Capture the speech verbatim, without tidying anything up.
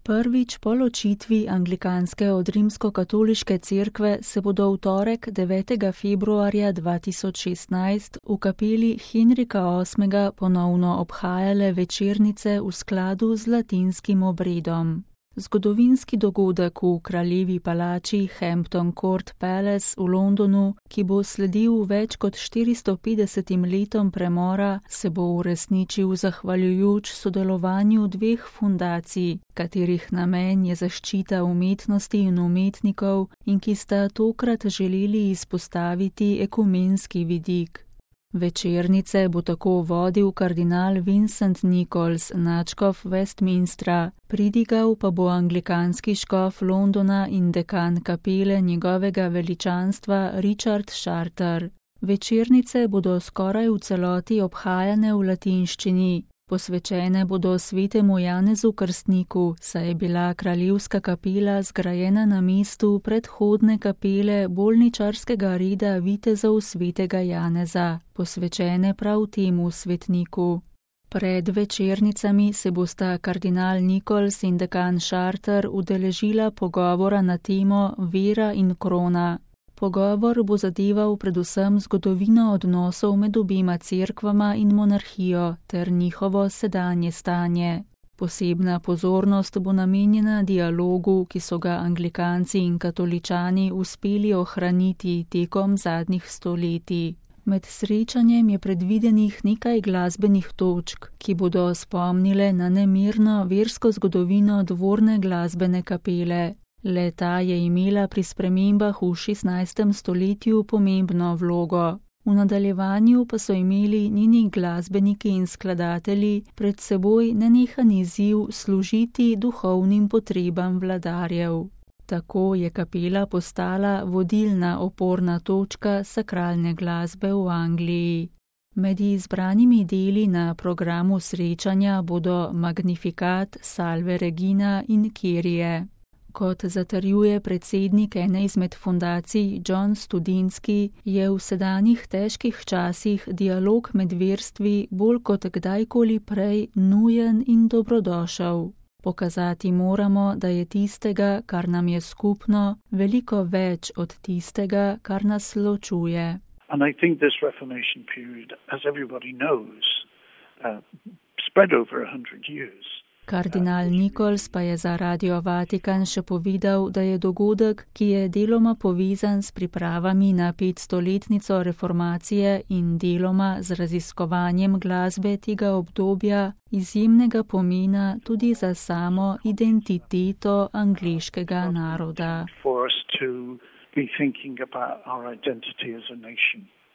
Prvič po ločitvi anglikanske od rimskokatoliške cerkve se bodo v torek devetega februarja dva tisoč šestnajst v kapeli Henrika osmega ponovno obhajale večernice v skladu z latinskim obredom. Zgodovinski dogodek v kraljevi palači Hampton Court Palace v Londonu, ki bo sledil več kot štiristo petdesetim letom premora, se bo uresničil zahvaljujoč sodelovanju dveh fundacij, katerih namen je zaščita umetnosti in umetnikov in ki sta tokrat želeli izpostaviti ekumenski vidik. Večernice bo tako vodil kardinal Vincent Nichols, nadškof Westminstra, pridigal pa bo anglikanski škof Londona in dekan kapele njegovega veličanstva Richard Charter. Večernice bodo skoraj v celoti obhajane v latinščini. Posvečene bodo svetemu Janezu Krstniku, saj je bila kraljevska kapela zgrajena na mestu predhodne kapele bolničarskega reda vitezov svetega Janeza, posvečene prav temu svetniku. Pred večernicami se bosta kardinal Nichols in dekan Charter udeležila pogovora na temo Vera in krona. Pogovor bo zadeval predvsem zgodovino odnosov med obema cerkvama in monarhijo ter njihovo sedanje stanje. Posebna pozornost bo namenjena dialogu, ki so ga anglikanci in katoličani uspeli ohraniti tekom zadnjih stoletij. Med srečanjem je predvidenih nekaj glasbenih točk, ki bodo spomnile na nemirno versko zgodovino dvorne glasbene kapele. Le-ta je imela pri spremembah v šestnajstem stoletju pomembno vlogo. V nadaljevanju pa so imeli njeni glasbeniki in skladatelji pred seboj nenehan izziv služiti duhovnim potrebam vladarjev. Tako je kapela postala vodilna oporna točka sakralne glasbe v Angliji. Med izbranimi deli na programu srečanja bodo Magnificat, Salve Regina in Kyrie. Kot zatrjuje predsednik ene izmed fundacij John Studinski, je v sedanjih težkih časih dialog med verstvi bolj kot kdajkoli prej nujen in dobrodošel. Pokazati moramo, da je tistega, kar nam je skupno, veliko več od tistega, kar nas ločuje. And I think this Reformation period, as everybody knows, uh, spread over a hundred years. Kardinal Nichols pa je za Radio Vatikan še povedal, da je dogodek, ki je deloma povezan s pripravami na petstoletnico reformacije in deloma z raziskovanjem glasbe tega obdobja, izjemnega pomena tudi za samo identiteto angleškega naroda. For us to be thinking about our identity as a nation.